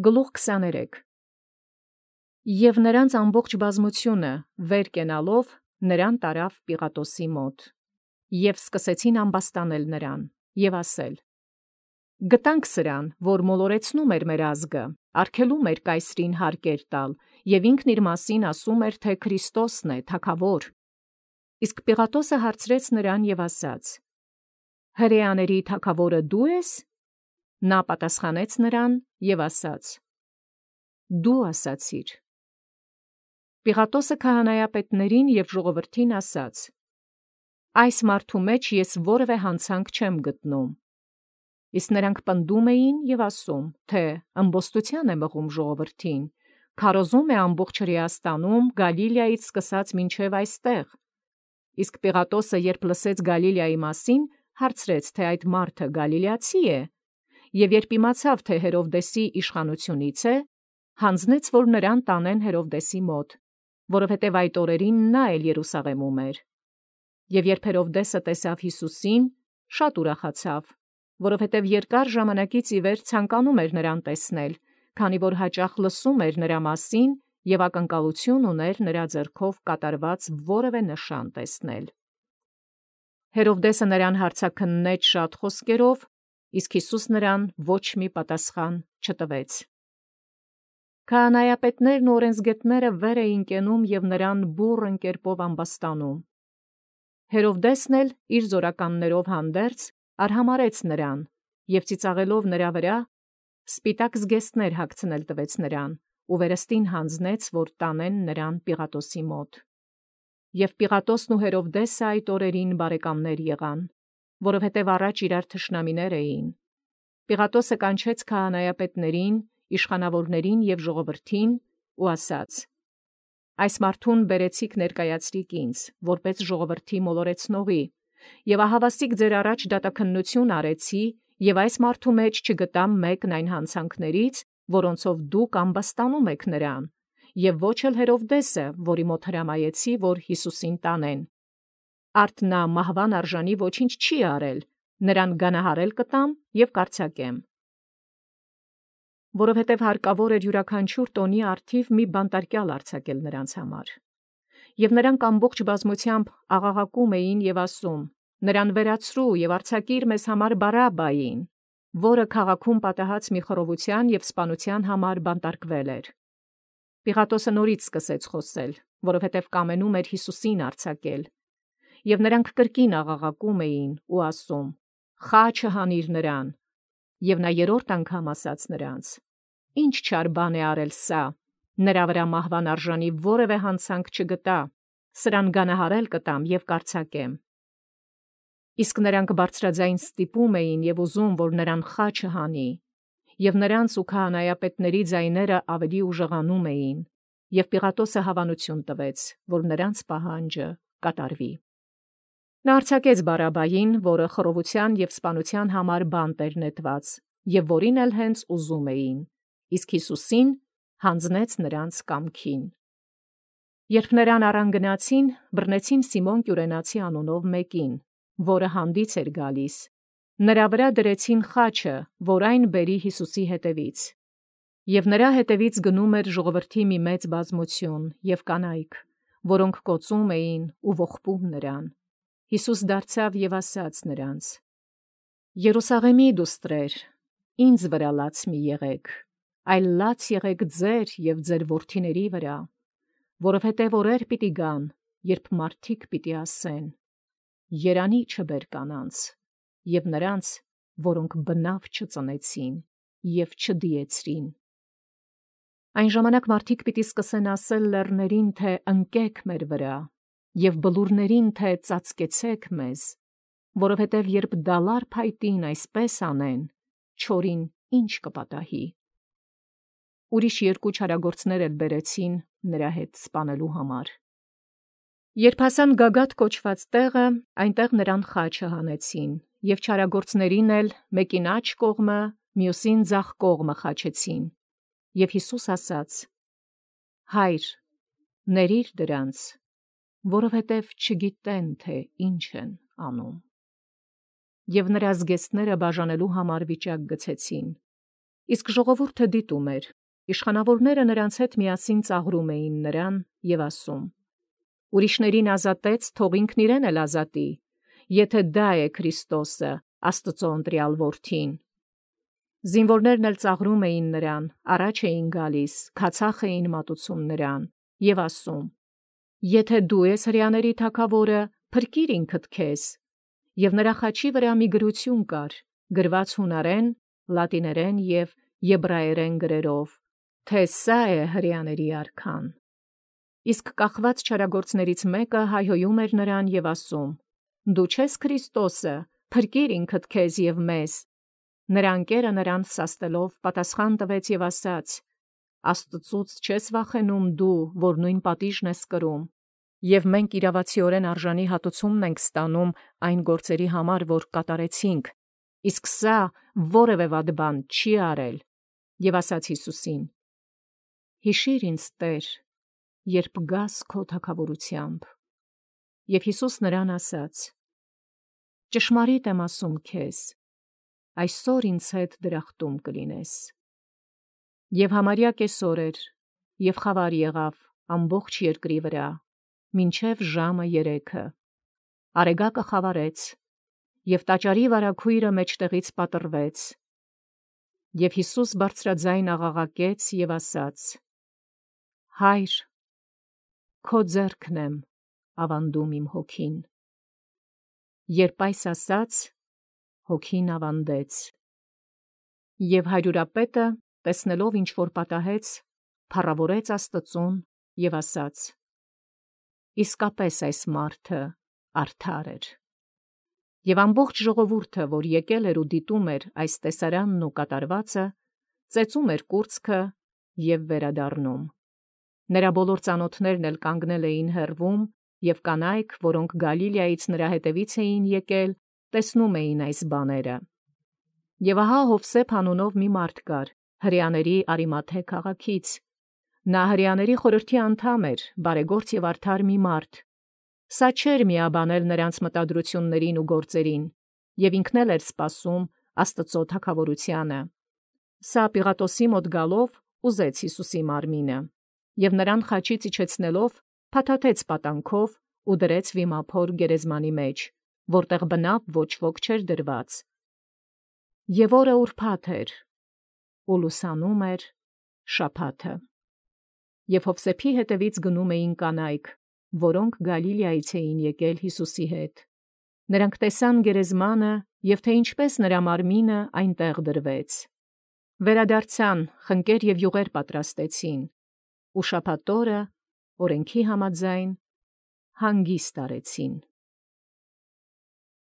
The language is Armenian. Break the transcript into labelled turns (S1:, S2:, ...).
S1: Գլուխ 23 Եվ նրանց ամբողջ բազմությունը վեր կենալով նրան տարավ Պիղատոսի մոտ, և սկսեցին ամբաստանել նրան, և ասել. Գտանք սրան, որ մոլորեցնում էր մեր ազգը, արգելում էր կայսրին հարկեր տալ, և ինքն իր մասին ասում էր, թե Քրիստոսն է, թագավոր։ Իսկ Պիղատոսը հարցրեց նրան և ասաց. Հրեաների թագավորը դու ես? Նա պատասխանեց նրան և ասաց. Դու ասացիր։ Պիղատոսը քահանայապետներին և ժողովրդին ասաց. Այս մարդու մեջ ես որևէ հանցանք չեմ գտնում։ Իսկ նրանք պնդում էին և ասում, թե ըմբոստության է մղում ժողովրդին, քարոզում է ամբողջ Հրեաստանում, Գալիլեայից սկսած մինչև այստեղ։ Իսկ Պիղատոսը, երբ լսեց Գալիլեայի մասին, հարցրեց, թե այդ մարդը գալիլեացի է, և երբ իմացավ, թե Հերովդեսի իշխանությունից է, հանձնեց, որ նրան տանեն Հերովդեսի մոտ, որովհետև այդ օրերին նա էլ Երուսաղեմում էր։ Եվ երբ Հերովդեսը տեսավ Հիսուսին, շատ ուրախացավ, որովհետև երկար ժամանակից ի վեր ցանկանում էր նրան տեսնել, քանի որ հաճախ լսում էր նրա մասին և ակնկալություն ուներ նրա ձեռքով կատարված որևէ նշան տեսնել։ Հերովդեսը նրան հարցաքննեց շատ խոսքերով, իսկ Հիսուս նրան ոչ մի պատասխան չտվեց։ Քահանայապետներն ու օրենսգետները վեր էին կենում և նրան բուռն կերպով ամբաստանում։ Հերովդեսն էլ իր զորականներով հանդերձ արհամարհեց նրան և ծիծաղելով նրա վրա, սպիտակ զգեստներ հագցնել տվեց նրան ու վերստին հանձնեց, որ տանեն նրան Պիղատոսի մոտ։ Եվ Պիղատոսն ու Հերովդեսը այդ օրերին բարեկամներ եղան, որովհետև առաջ իրար թշնամիներ էին։ Պիղատոսը կանչեց քահանայապետներին, իշխանավորներին և ժողովրդին ու ասաց. Այս մարդուն բերեցիք ներկայացրիք ինձ, որպես ժողովրդի մոլորեցնողի, և ահավասիկ ձեր առաջ դատաքննություն արեցի, և այս մարդու մեջ չգտամ մեկն այն հանցանքներից, որոնցով դուք ամբաստանում եք նրան, և ոչ էլ Հերովդեսը, որի մոտ հրամայեցի, որ Հիսուսին տանեն։ Արդ նա մահվան արժանի ոչինչ չի արել, նրան գանահարել կտամ և կարձակեմ։ Որովհետև հարկավոր էր յուրաքանչյուր տոնի առթիվ մի բանտարկյալ արձակել նրանց համար։ Եվ նրանք ամբողջ բազմությամբ աղաղակում էին և ասում. Նրան վերացրու և արձակիր մեզ համար Բարաբբային, որը քաղաքում պատահած մի խռովության և սպանության համար բանտարկվել էր։ Պիղատոսը նորից սկսեց խոսել, որովհետև կամենում էր Հիսուսին արձակել։ Եվ նրանք կրկին աղաղակում էին ու ասում. Խաչը հանիր նրան։ Եվ նա երրորդ անգամ ասաց նրանց. Ինչ չար բան է արել սա, նրա վրա մահվան արժանի որևէ հանցանք չգտա, սրան գանահարել կտամ և կարձակեմ։ Իսկ նրանք բարձրաձայն ստիպում էին և ուզում, որ նրան խաչը հանի, և նրանց ու քահանայապետների ձայները ավելի ուժեղանում էին, և Պիղատոսը հավանություն տվեց, որ նրանց պահանջը կատարվի։ Նա արձակեց Բարաբբային, որը խռովության և սպանության համար բանտ էր նետված, և որին էլ հենց ուզում էին, իսկ Հիսուսին հանձնեց նրանց կամքին։ Երբ նրան առան գնացին, բռնեցին Սիմոն Կյուրենացի անունով մեկին, որը հանդից էր գալիս։ Նրա վրա դրեցին խաչը, որ այն բերի Հիսուսի հետևից։ Եվ նրա հետևից գնում էր ժողովրդի մի մեծ բազմություն և կանայք, որոնք կոծում էին ու ողբում նրան։ Հիսուս դարձավ և ասաց նրանց. Երուսաղեմի դուստրեր, ինձ վրա լաց մի եղեք, այլ լաց եղեք ձեր և ձեր որդիների վրա, որովհետև օրեր պիտի գան, երբ մարդիկ պիտի ասեն. Երանի չբեր կանանց, և նրանց, որոնք բնավ չծնեցին և չդիեցրին։ Այն ժամանակ մարդիկ պիտի սկսեն ասել լեռներին, թե ընկեք մեր վրա, և բլուրներին, թե ծածկեցեք մեզ, որովհետև երբ դալար փայտին այսպես անեն, չորին ինչ կպատահի։ Ուրիշ երկու չարագործներ էլ բերեցին նրա հետ սպանելու համար։ Երբ հասան Գագաթ կոչված տեղը, այնտեղ նրան խաչը հանեցին, և չարագործներին էլ մեկին աջ կողմը, մյուսին ձախ կողմը խաչեցին։ Եվ Հիսուս ասաց. Հայր, ներիր դրանց, որովհետև չգիտեն, թե ինչ են անում։ Եվ նրա զգեստները բաժանելու համար վիճակ գցեցին։ Իսկ ժողովուրդը դիտում էր, իշխանավորները նրանց հետ միասին ծաղրում էին նրան և ասում. «Ուրիշներին ազատեց, թող ինքն իրեն էլ ազատի, եթե դա է Քրիստոսը, Աստծո ընտրյալ որդին»։ Զինվորներն էլ ծաղրում էին նրան, առաջ էին գալիս, քացախ էին մատուցում նրան և ասում. «Եթե դու ես հրեաների թագավորը, փրկիր ինքդ քեզ»։ Եվ նրա խաչի վրա մի գրություն կար, գրված հունարեն, լատիներեն և եբրայերեն գրերով, թե սա է հրեաների արքան։ Իսկ կախված չարագործներից մեկը հայհոյում էր նրան և ասում. «Դու չես Քրիստոսը, փրկիր ինքդ քեզ և մեզ»։ Նրա ընկերը նրան սաստելով պատասխան տվեց և ասաց. «Աստծուց չես վախենում դու, որ նույն պատիժն ես կրում, և մենք իրավացիորեն արժանի հատուցումն ենք ստանում այն գործերի համար, որ կատարեցինք, իսկ սա որևէ վատ բան չի արել»։ Եվ ասաց Հիսուսին. «Հիշիր ինձ, Տեր, երբ գաս քո թագավորությամբ»։ Եվ Հիսուս նրան ասաց. «Ճշմարիտ եմ ասում քեզ, այսօր ինձ հետ դրախտում կլինես»։ Եվ համարյա կեսօր էր, և խավար եղավ ամբողջ երկրի վրա, մինչև ժամը 3. Արեգակը խավարեց, և տաճարի վարագույրը մեջտեղից պատռվեց։ Եվ Հիսուս բարձրաձայն աղաղակեց և ասաց. «Հայր, քո ձեռքն եմ ավանդում իմ հոգին»։ Երբ այս ասաց, հոգին ավանդեց։ Եվ հարյուրապետը, տեսնելով ինչ որ պատահեց, փառավորեց Աստծուն և ասաց. «Իսկապես այս մարդը արդար էր»։ Եվ ամբողջ ժողովուրդը, որ եկել էր ու դիտում էր այս տեսարանն ու կատարվածը, ծեծում էր կուրծքը և վերադառնում։ Նրա բոլոր ծանոթներն էլ կանգնել էին հեռվում, և կանայք, որոնք Գալիլեայից նրա հետևից էին եկել, տեսնում էին այս բաները։ Եվ ահա Յովսեփ անունով մի մարդ կար, հրեաների Արիմաթե քաղաքից։ Նա հրեաների խորհրդի անդամ էր, բարեգործ և արդար մի մարդ։ Սա չէր միաբանել նրանց մտադրություններին ու գործերին, և ինքն էլ էր սպասում Աստծո թագավորությանը։ Սա Պիղատոսի մոտ գալով ուզեց Հիսուսի մարմինը, և նրան խաչից իջեցնելով, փաթաթեց պատանքով ու դրեց վիմափոր գերեզմանի մեջ, որտեղ բնավ ոչ ոք չէր դրված։ Եվ օրը ուրբաթ էր, ու լուսանում էր շաբաթը։ Եվ Յովսեփի հետևից գնում էին կանայք, որոնք Գալիլեայից էին եկել Հիսուսի հետ։ Նրանք տեսան գերեզմանը և թե ինչպես նրա մարմինը այնտեղ դրվեց։ Վերադարձան, խնկեր և յուղեր պատրաստեցին, ու շաբաթ օրը, օրենքի համաձայն, հանգիստ արեցին։